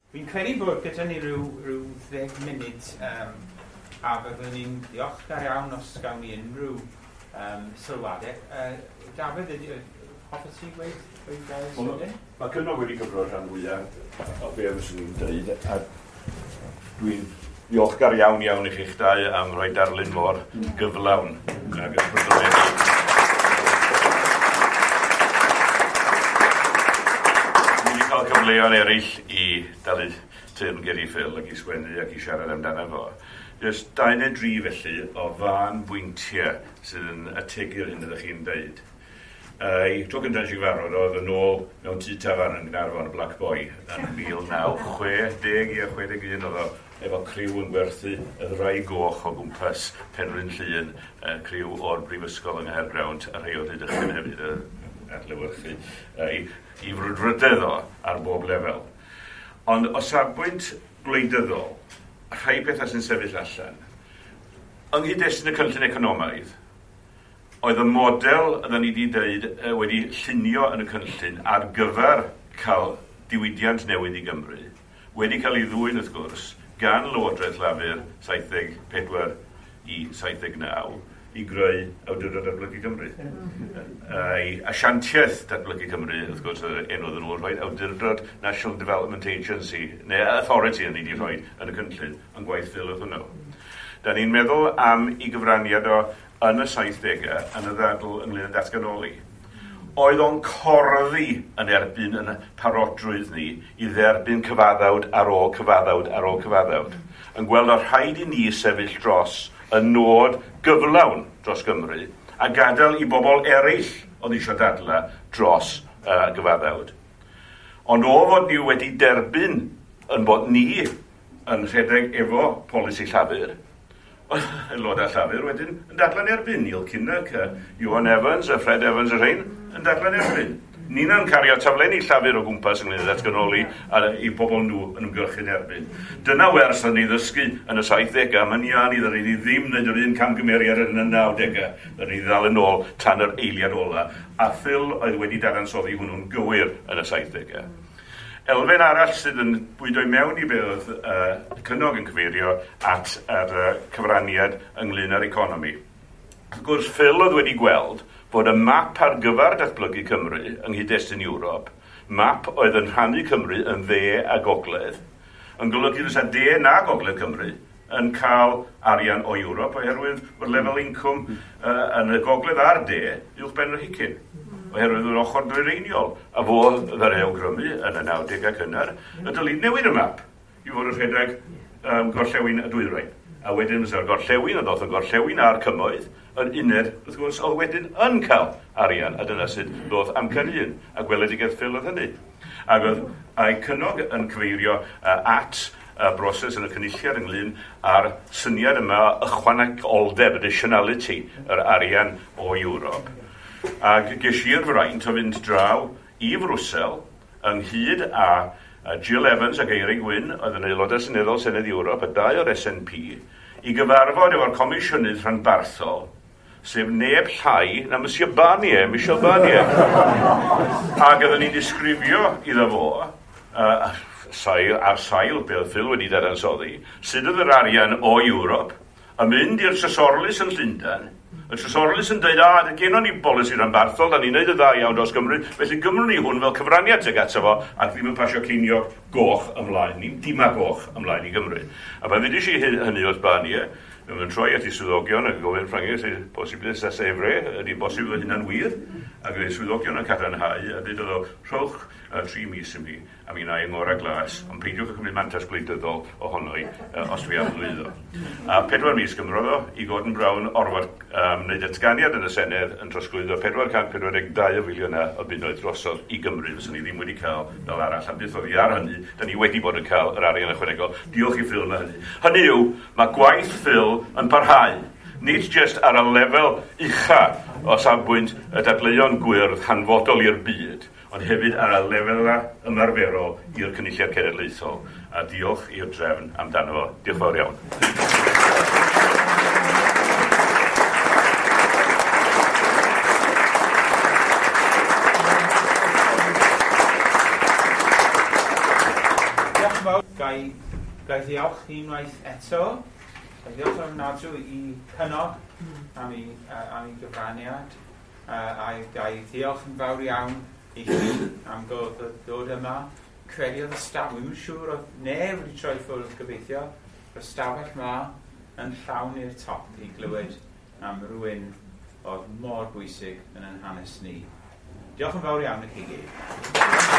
Fi'n credu bod gyda ni rhyw 10 munud a fyddwn ni'n ddiolchgar iawn os gawn ni unrhyw sylwadau. Dafydd, hoffet ti gweud gair sydyn? Mae Cynog wedi cyfro rhan fwyaf o be fyswn i'n dweud, a dwi'n ddiolchgar iawn iawn i chi'ch dau am roi darlun mor gyflawn ag ysbrydoledig. Dwi wedi cael cyfleoedd eraill i dalu teyrnged i Phil ac i sgwennu ac i siarad amdano fo. Jyst 2 neu 3 felly o fân bwyntiau sydd yn ategu'r hyn ydych chi'n deud. Y tro cyntaf nes i gyfarfod oedd yn ôl mewn tŷ tafarn yn Gaernarfon, y Black Boy, yn 1960 i 61 oedd o efo criw yn gwerthu y ddraig goch o gwmpas Penrhyn Llŷn, criw o'r Brifysgol yng Nghaergrawnt a rhai o'r Rhydychen hefyd adlewyrchu i frwdfrydedd o ar bob lefel. Ond o safbwynt gwleidyddol, rhai pethau sy'n sefyll allan. Yng nghyd-destun y cynllun economaidd, oedd y model oedden ni wedi dweud wedi llunio yn y cynllun ar gyfer cael diwydiant newydd i Gymru, wedi cael ei ddwyn wrth gwrs gan Lywodraeth Lafur 74 i 79 i greu Awdurdod Datblygu Cymru. Asiantiaeth Datblygu Cymru, wrth gwrs, yr enw oedden nhw'n rhoi, Awdurdod National Development Agency, neu Authority yn ni wedi rhoi yn y cynllun, yn gwaith Phil oedd hwnnw. Da ni'n meddwl am ei gyfraniad o yn y 70au yn y ddadl ynglyn â datganoli. Oedd o'n corddi yn erbyn yn parodrwydd ni i dderbyn cyfaddawd ar ôl cyfaddawd ar ôl cyfaddawd. Yn gweld o rhaid i ni sefyll dros y nod gyflawn dros Gymru a gadael i bobl eraill oedd eisiau dadla dros gyfaddawd. Ond o fod ni wedi derbyn yn bod ni yn rhedeg efo polisi Llafur, aelodau Llafur wedyn yn dadla'n erbyn. Neil Kinnock, Iwan Evans, a Fred Evans y rhain yn dadla'n erbyn. Nina'n cario taflenni Llafur o gwmpas ynglyn â datganoli a i bobl nhw yn ymgyrchu'n erbyn. Dyna wers o'n ni ddysgu yn y 70au, mae'n iawn i ddyn ni ddim wneud yr un camgymeriad yn y 90au. Dyn ni ddal yn ôl tan yr eiliad ola. A Phil oedd wedi dadansoddi hwnnw'n gywir yn y 70au. Elfen arall sydd yn bwydo i mewn i be oedd Cynog yn cyfeirio at yr cyfraniad ynglyn â'r economi. Wrth gwrs, Phil oedd wedi gweld bod y map ar gyfer datblygu Cymru yng nghyd-destun Ewrop, map oedd yn rhannu Cymru yn dde a gogledd, yn golygu fysa de na gogledd Cymru yn cael arian o Ewrop oherwydd bod lefel incwm yn y gogledd a'r de uwch ben yr Hicyn, oherwydd yr ochr dwyreiniol, a fo ddaru awgrymu yn y 90au cynnar, y dylid newid y map i fod yn rhedeg gorllewin a dwyrain. A wedyn fysa'r gorllewin, a ddoth y gorllewin a'r cymoedd, yn uned, wrth gwrs, oedd wedyn yn cael arian, a dyna sut ddoth amcan un, a gweledigaeth Phil oedd hynny. Ac oedd a'i Cynog yn cyfeirio at y broses yn y cynulliad ynglyn â'r syniad yma ychwanegoldeb, additionality, yr arian o Ewrop. Ac ges i'r fraint o fynd draw i Frwsel ynghyd â Jill Evans ac Eirig Wyn, oedd yn aelodau seneddol Senedd Ewrop, a dau o'r SNP, i gyfarfod efo'r Comisiynydd Rhanbarthol, sef neb llai na Monsieur Barnier, Michel Barnier. Ac oedden ni'n disgrifio iddo fo, ar sail be oedd Phil wedi dadansoddi, sut oedd yr arian o Ewrop yn mynd i'r Trysorlys yn Llundain. Y Trysorlys yn dweud, gennon ni bolisi rhanbarthol, da ni'n neud y dda iawn dros Gymru, felly gymrwn ni hwn fel cyfraniad tuag ato fo, ac ddim yn pasio ceiniog goch ymlaen, ni'n dima goch ymlaen i Gymru. A pan ddeudais i hynny wrth Barnier, mae'n troi at ei swyddogion ac yn gofyn Ffrangeg, sef posibl ça c'est vrai, ydy bosib fod hynna'n wir, ac oedd ei swyddogion yn cadarnhau, a dweud o, rhowch 3 mis i mi, a mi wna i ngorau glas, ond peidiwch â chymryd mantais gwleidyddol ohono i, os dwi am lwyddo. A 4 mis gymrodd o i Gordon Brown orfod wneud datganiad yn y Senedd yn trosglwyddo 442 o filiynau o bunnoedd drosodd i Gymru, fyswn ni ddim wedi cael fel arall, a byth oddi ar hynny, da ni wedi bod yn cael yr arian ychwanegol. Diolch i Phil am hynny. Hynny yw, mae gwaith Phil yn parhau, nid jyst ar y lefel ucha o safbwynt y dadleuon gwyrdd hanfodol i'r byd, ond hefyd ar y lefel ymarferol i'r Cynulliad Cenedlaethol. A diolch i'r drefn amdano fo. Diolch yn fawr iawn. Diolch yn fawr. Gai, gai ddiolch unwaith eto. Gai ddiolch ofnadwy i Cynog am ei, am ei gyfraniad. A gai ddiolch yn fawr iawn i chi am dod, dod yma. Credu oedd y stafell, dwi'n siŵr oedd neb wedi troi ffwrdd gobeithio, y stafell yma yn llawn i'r top i glywed am rhywun oedd mor bwysig yn ein hanes ni. Diolch yn fawr iawn i chi gyd.